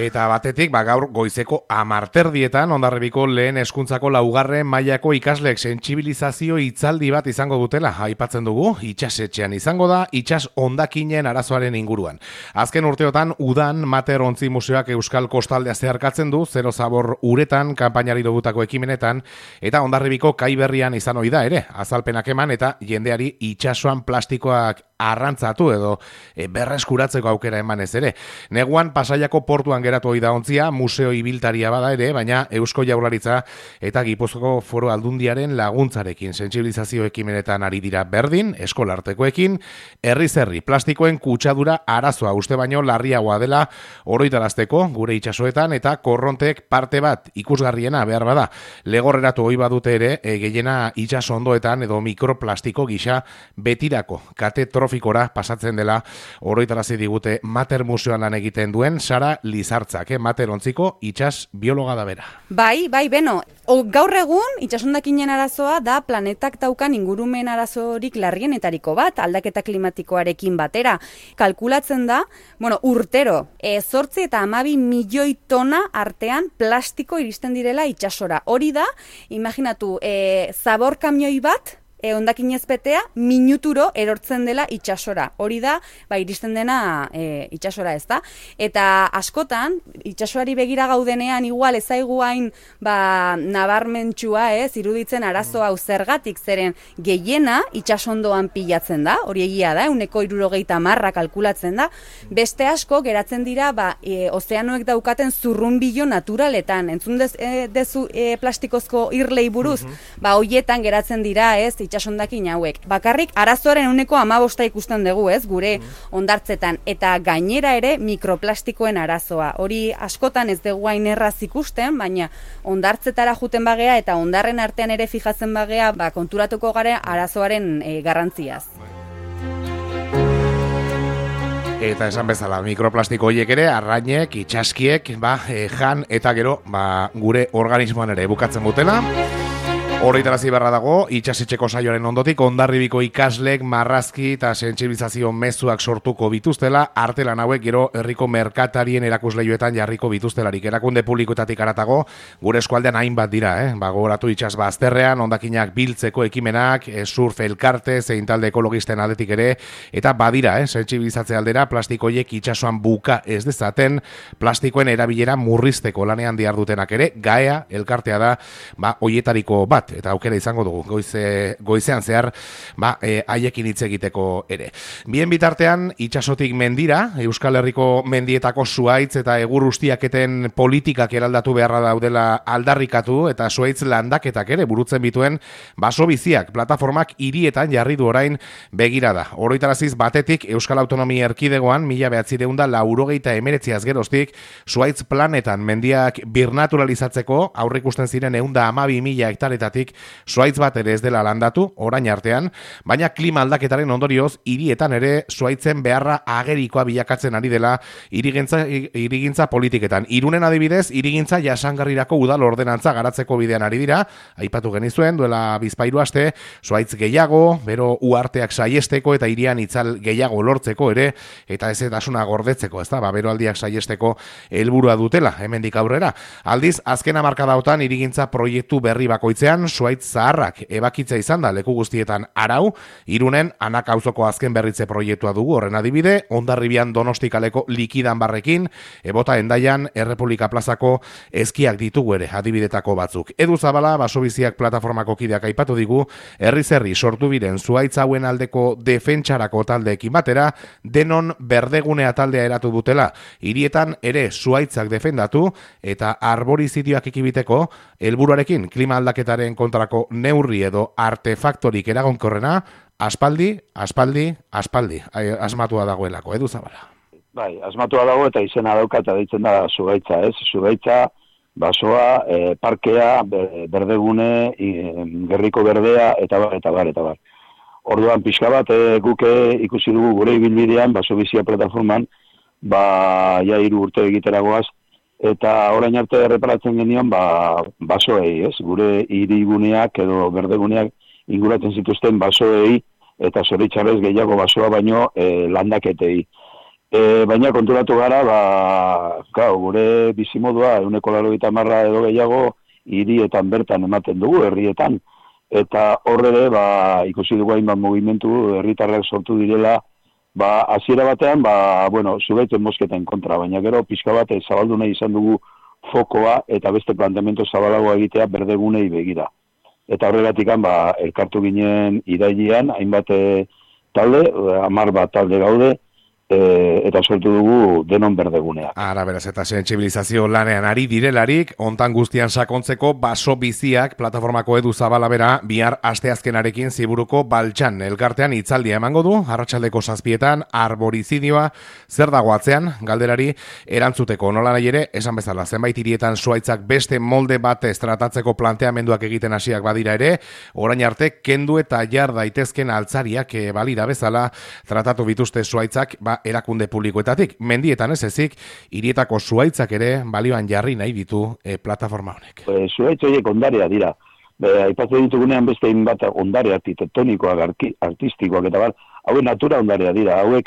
Eta batetik, gaur goizeko 10:00 Hondarribiko lehen hezkuntzako 4. mailako ikasleek sentsibilizazio hitzaldi bat izango dutela aipatzen dugu. Itsasetxean izango da, itsas hondakinen arazoaren inguruan. Azken urteotan udan Mater Ontzi Museoak Euskal Kostaldea zeharkatzen du, zero zabor uretan kanpainari dogutako ekimenetan, eta Hondarribiko kai berrian izan ohi da ere, azalpenak eman eta jendeari itsasoan plastikoak arrantzatu edo berreskuratzeko aukera emanez ere. Neguan Pasaiako portuan geratu ohi da ontzia, museo ibiltaria bada ere, baina Eusko Jaurlaritza eta Gipuzkoako Foru Aldundiaren laguntzarekin sentsibilizazio ekimenetan ari dira berdin, eskolartekoekin, herriz herri plastikoen kutsadura arazoa uste baino larriagoa dela oroitarazteko gure itsasoetan eta korrontek parte bat ikusgarriena behar bada. Legorreratu ohi badute ere, gehiena itsaso ondoetan edo mikroplastiko gisa betirako kate trofikora pasatzen dela oroitarazi digute Mater Museoan lan egiten duen Sara Lizartzak, Mater Ontziko itsas biologa da bera. Bai, beno, gaur egun itsasondakinen arazoa da planetak daukan ingurumen arazorik larrienetariko bat, aldaketa klimatikoarekin batera. Kalkulatzen da, urtero, 8 eta 12 milioi tona artean plastiko iristen direla itsasora. Hori da, imaginatu, zabor kamioi bat, hondakinez betea, minuturo erortzen dela itsasora. Hori da, iristen dena itsasora ez da. Eta askotan, itsasoari begira gaudenean, igual ezaigu hain nabarmentsua iruditzen arazo hau zergatik, zeren gehiena itsasondoan pilatzen da, hori egia da, 170 kalkulatzen da. Beste asko geratzen dira, ozeanoek daukaten zurrunbilo naturaletan. Entzun dezu plastikozko irlei buruz, hoietan geratzen dira, itsasondakin hauek. Bakarrik arazoaren 15% ikusten dugu, gure hondartzetan, eta gainera ere mikroplastikoen arazoa. Hori askotan ez dugu hain erraz ikusten, baina hondartzetara juten bagea eta hondarren artean ere fijatzen bagea, konturatuko gara arazoaren garrantziaz. Eta esan bezala, mikroplastiko horiek ere, arrainek, itsaskiek, jan eta gero, gure organismoan ere bukatzen dutela. Horretarazi beharra dago, itsasetxeko saioaren ondotik, Hondarribiko ikaslek marrazki eta sentsibilizazio mezuak sortuko bituztela, artelan hauek gero herriko merkatarien erakusleioetan jarriko bituztelarik. Erakunde publikoetatik aratago, gure eskualdean hainbat dira, gogoratu itsas bazterrean, hondakinak biltzeko ekimenak, surf elkarte, zein talde ekologisten aldetik ere, eta badira, sentsibilizatze aldera, plastikoiek itsasoan buka ez dezaten, plastikoen erabilera murrizteko lanean dihardutenak ere, GAEA elkartea da, hoietariko bat, eta aukera izango dugu goizean zehar haiekin hitz egiteko ere. Bien bitartean itsasotik mendira, Euskal Herriko mendietako zuhaitz eta egur ustiaketen politikak eraldatu beharra daudela aldarrikatu eta zuhaitz landaketak ere burutzen bituen baso biziak plataformak hirietan jarri du orain begirada. Oroitaraziz batetik Euskal Autonomia Erkidegoan 1989 geroztik zuhaitz planetan mendiak birnaturalizatzeko aurreikusten ziren 112.000 hektaretatik zuhaitz bat ere ez dela landatu, orain artean, baina klima aldaketaren ondorioz, hirietan ere zuhaitzen beharra agerikoa bilakatzen ari dela hirigintza politiketan. Irunen adibidez, hirigintza jasangarrirako udal ordenantza garatzeko bidean ari dira, aipatu genizuen, duela bizpairu aste, zuhaitz gehiago, bero uarteak saiesteko eta hirian itzal gehiago lortzeko ere, eta ezetasuna gordetzeko, ezta, beroaldiak saiesteko helburua dutela, hemendik aurrera. Aldiz, azken hamarkadaotan hirigintza proiektu berri bakoitzean, zuhaitz zaharrak ebakitza izan da leku guztietan arau, Irunen Anak auzoko azken berritze proiektua dugu horren adibide, Hondarribian Donosti kaleko likidan barrekin, Ebota Endaian Errepublika plazako eskiak ditugu ere adibidetako batzuk. Edu Zabala, basobiziak plataformako kideak aipatu digu, herriz herri sortu biren zuhaitz hauen aldeko defentsarako taldeekin batera, denon berdegunea taldea eratu dutela, hirietan ere zuhaitzak defendatu eta arborizidioak ekibiteko helburuarekin klima aldaketaren kontrako neurri edo artefaktorik eragonkorrena, aspaldi, asmatua dagoelako, Edu Zabala. Bai, asmatua dago eta izena dauka eta deitzen da zuhaitza, Zuhaitza, basoa, parkea, berdegune, gerriko berdea, eta bar. Orduan, pixka bat, guke ikusi dugu gure ibilbidean, basobizia plataforman, ja 3 urte egiteragoaz, eta orain arte erreparatzen genion, basoei, gure hiriguneak edo berdeguneak inguratzen zituzten basoei, eta zoritxarrez gehiago basoa baino landaketei. Baina konturatu gara, gure bizimodua 180 edo gehiago hirietan bertan ematen dugu, herrietan. Eta horre ere, ikusi dugu hainbat mugimendu, herritarrak sortu direla, hasiera batean, zugaiten mosketen kontra, baina gero pixka bat zabaldu nahi izan dugu fokoa eta beste planteamendu zabalagoa egitea berdegunei begira. Eta horregatik elkartu ginen irailean, hainbat talde, 10 bat talde gaude, eta sortu dugu denon berdegunea. Ara, beraz, eta sentsibilizazio lanean ari direlarik, ontan guztian sakontzeko baso biziak plataformako Edu Zabala bera bihar asteazkenarekin Ziburuko Baltsan elkartean hitzaldia emango du, arratsaldeko 7etan arborizidioa zer dago atzean, galderari erantzuteko nola nahi ere, esan bezala, zenbait hirietan zuhaitzak beste molde batez tratatzeko planteamenduak egiten hasiak badira ere, orain arte kendu eta jar daitezken altzariak balira bezala tratatu bituzte zuhaitzak erakunde publikoetatik. Mendietan ez ezik, hirietako zuhaitzak ere balioan jarri nahi ditu plataforma honek. Zuhaitz horiek ondarea dira. Aipatzen ditugunean beste hainbat ondare arkitektonikoak, artistikoak eta hauek natura ondarea dira. Hauek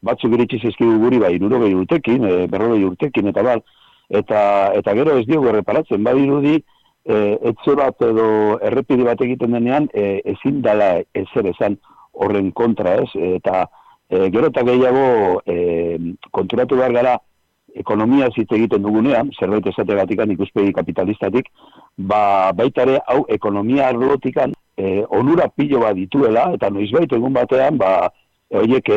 batzuk iritsi zaizkigu guri 60 urtekin, 40 urtekin eta gero ez diogu erreparatzen. Badirudi etxe bat edo errepide bat egiten denean ezin dela ezer esan horren kontra, ez? Eta gero eta gehiago konturatu behar gara ekonomia hitz egiten dugunean, zerbait esategatikan ikuspegi kapitalistatik, baita ere hau ekonomia arlotikan onura pilo bat dituela, eta noizbait egun batean horiek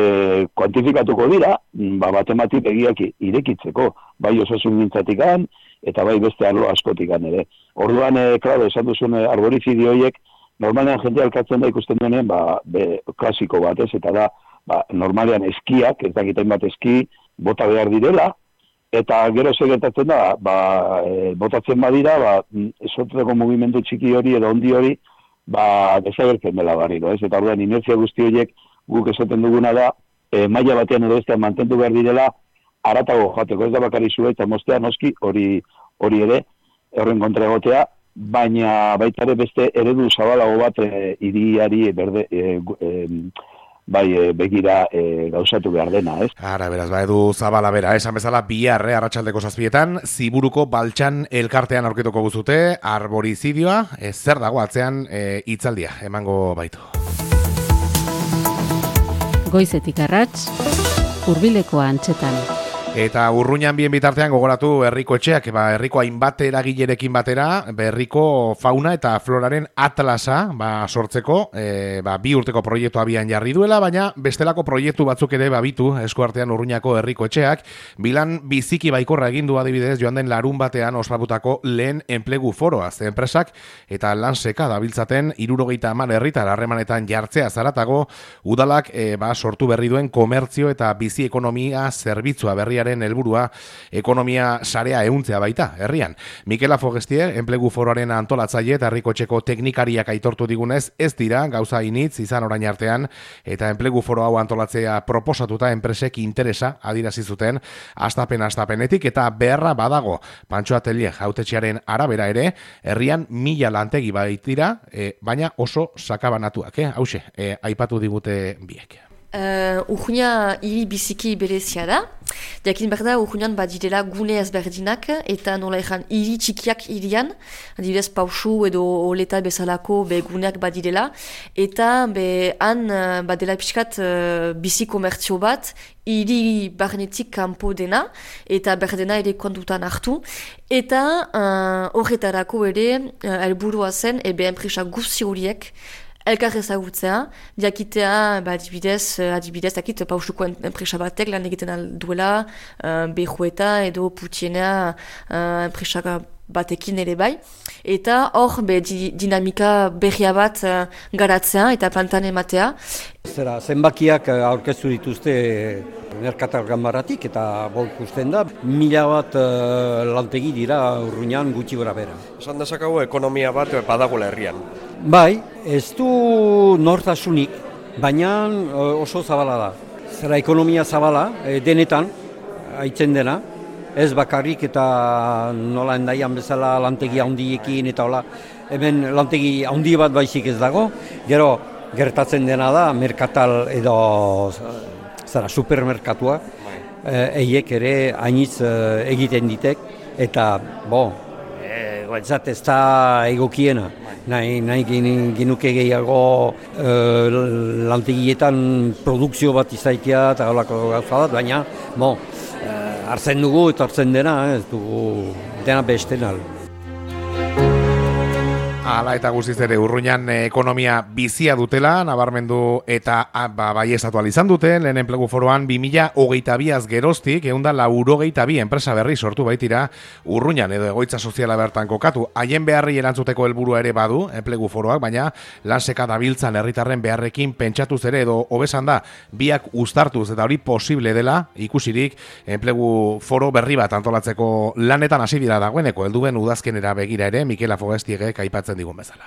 kuantifikatuko dira, matematik egiak irekitzeko, bai osasun mintzatikan, eta bai beste arlo askotikan ere. Orduan, klaro, esan duzun arborizidio horiek, normalean jendea elkartzen da ikusten denean, klasiko bat, ez, eta da, normalean eskiak, ez dakiten bat eski, bota behar direla, eta gero segertatzen da, botatzen badira, sortzeko mugimendu txiki hori edo ondi hori, desagertzen dela barriro, ez? Eta orduan, inertzia guzti horiek guk esaten duguna da, maila batean edo bestean mantendu behar direla, haratago joateko, ez da bakari zua eta mostea noski hori ere, horren kontra egotea, baina baita ere beste eredu zabalago bat hiriari begira gauzatu behar dena, ez? Ara, beraz, Edu Zabala bera, esan bezala bihar, arratsaldeko 7etan, Ziburuko Baltsan elkartean aurkituko guzute, arborizidioa, zer dago atzean hitzaldia, emango baitu. Goizetik arrats, hurbileko antzetan. Eta Urruñan bien bitartean gogoratu herriko etxeak, herriko hainbat eragilerekin batera, herriko fauna eta floraren atlasa sortzeko, 2 urteko proiektu abian jarri duela, baina bestelako proiektu batzuk ere babitu eskuartean Urruñako herriko etxeak, bilan biziki baikorra egin du adibidez joan den larun batean ospatutako lehen enplegu foroa, ze enpresak eta lan seka dabiltzaten 70 herritar harremanetan jartzea zaratago, udalak sortu berri duen komertzio eta bizi ekonomia zerbitzua berriaren helburua ekonomia sarea ehuntzea baita herrian. Mikel Afogestier, enplegu foroaren antolatzaile eta herrikotxeko teknikariak aitortu digunez, ez dira gauza initz izan orain artean eta enplegu foro hau antolatzea proposatuta enpresek interesa adirazi zuten astapenetik eta beharra badago. Pantxo Atelier hautetxearen arabera ere, herrian 1000 lantegi baitira, baina oso sakabanatuak, hauxe, aipatu digute biek. Urruña hiri biziki berezia da. Jakin behar da, Urruñan badirela gune ezberdinak eta nola ezan hiri txikiak hirian, adibidez Pausu edo Oleta bezalako guneak badirela, eta han badela pixkat bizi komertzio bat, hiri barnetik kanpo dena, eta berdena ere kontutan hartu, eta horretarako ere helburua zen, enpresa guzti horiek, elkar ezagutzea, jakitea, adibidez, dakit, Pausuko enpresa batek lan egiten alduela, Bejueta edo Putiena enpresa batekin ere bai, eta hor dinamika berria bat garatzea eta plantan ematea. Zenbakiak aurkeztu dituzte Merkatal Ganbaratik eta ikusten da, 1000 bat lantegi dira Urruñan gutxi gora bera. Esan dezakago ekonomia bat badagoela herrian. Bai, ez du nortasunik, baina oso zabala da. Zera ekonomia zabala, denetan, aitzen dena, ez bakarrik eta nola endaian bezala lantegi handiekin eta hola, hemen lantegi handi bat baizik ez dago, gero gertatzen dena da, merkatal edo supermerkatua, eiek ere hainitz egiten ditek, eta, guatzat ez da egokiena. Nahi genuke gehiago lantegietan produkzio bat izaikia eta holako gauza bat, baina, hartzen dugu eta hartzen dena, ez dugu dena besten al. Hala eta guztiz ere Urruñan ekonomia bizia dutela, nabarmendu eta bai estatu izan duten, lehen enplegu foroan 2022az geroztik, 192 enpresa berri sortu baitira Urruñan edo egoitza soziala bertan kokatu. Haien beharri erantzuteko helburua ere badu, enplegu foroak, baina lanseka dabiltzan herritarren beharrekin pentsatuz ere edo hobesan da, biak uztartuz eta hori posible dela, ikusirik enplegu foro berri bat antolatzeko lanetan hasi dira dagoeneko, helduen udazkenera begira ere, Mikel Afogestiegek aipatzen digun bezala.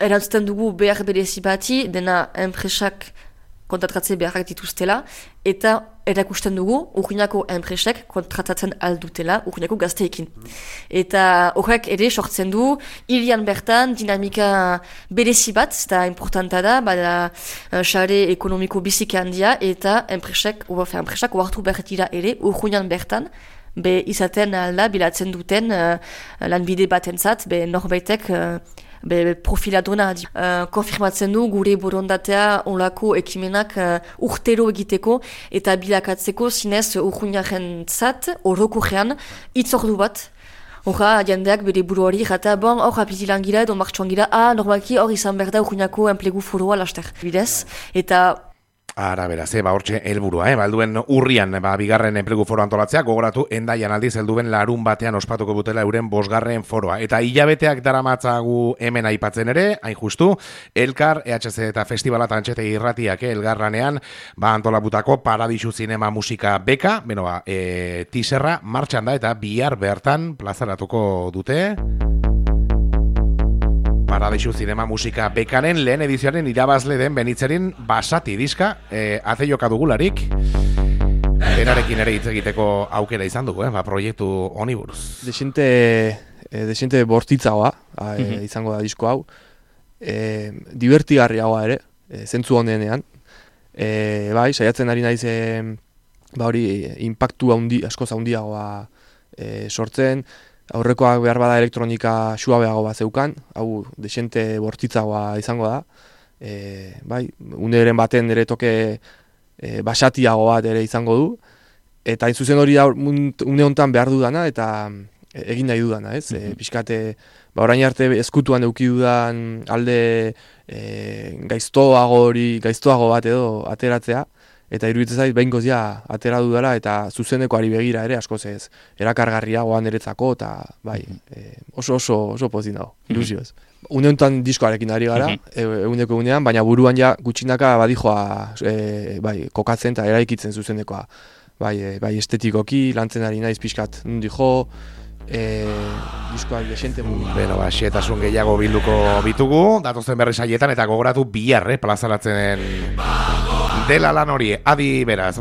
Erantzuten dugu behar berezi bati, dena enpresak kontratratze beharrak dituztela, eta erakusten dugu Urruñako enpresek kontratatzen aldutela Urruñako gazteekin. Eta horrek ere sortzen du, hirian bertan dinamika berezi bat, eta importanta da, bada sare ekonomiko biziki handia, eta enpresak oartu behar dira ere Urruñan bertan, izaten alda bilatzen duten lanbide batentzat, norbaitek profila dona. Konfirmatzen du gure borondatea olako ekimenak urtero egiteko eta bilakatzeko zinez Urruñaren zat, orokorrean, itzordu bat. Horra, jendeak bere buruari jata, hor apitilan gira edo martxuan gira, normalki hor izan behar da Urruñako enplegu foroa laster. Bidez, eta Ara, beraz, hortxe helburua, balduen urrian, bigarren enplegu foro antolatzea, gogoratu, endaian aldiz helduen larun batean ospatuko dutela euren 5. foroa. Eta hilabeteak daramatzagu hemen aipatzen ere, hain justu, Elkar, EHC eta Festivala Tantxete Irratiak elgarranean, antolabutako Paradisu Zinema Musika Beka, tiserra martxan da eta bihar bertan plazaratuko dute. Paradisu Zinema Musika Bekaren lehen edizioaren irabazle den Benitzerin Basati diska, ate joka dugularik, berarekin ere hitz egiteko aukera izan dugu, proiektu honi buruz. Desente bortitzagoa izango da disko hau, divertigarriagoa ere, zentzu honenean, saiatzen ari naiz hori impactu askoz handiagoa sortzen, aurrekoak behar bada elektronika suabeago bat zeukan, hau desente bortitzagoa izango da. Uneren baten ere toke basatiago bat ere izango du. Eta hain zuzen hori da une honetan behar dudana eta egin nahi dudana, ez? Pixkate, orain arte ezkutuan eduki dudan alde gaiztoago bat edo ateratzea. Eta iruditzen zait, behingoz atera dudala eta zuzenekoari begira ere askoz ez erakargarriagoa niretzako eta oso pozik dago, ilusioz. Une honetan diskoarekin ari gara, eguneko egunean, baina buruan gutxinaka badijoa kokatzen eta eraikitzen zuzenekoa. Bai estetikoki, lantzen ari naiz pixkat nundi jo, diskoak desente mugi. Xetasun gehiago bilduko bitugu, datozen berri saietan eta gogoratu bihar plazaratzen dela lan hori, adi beraz.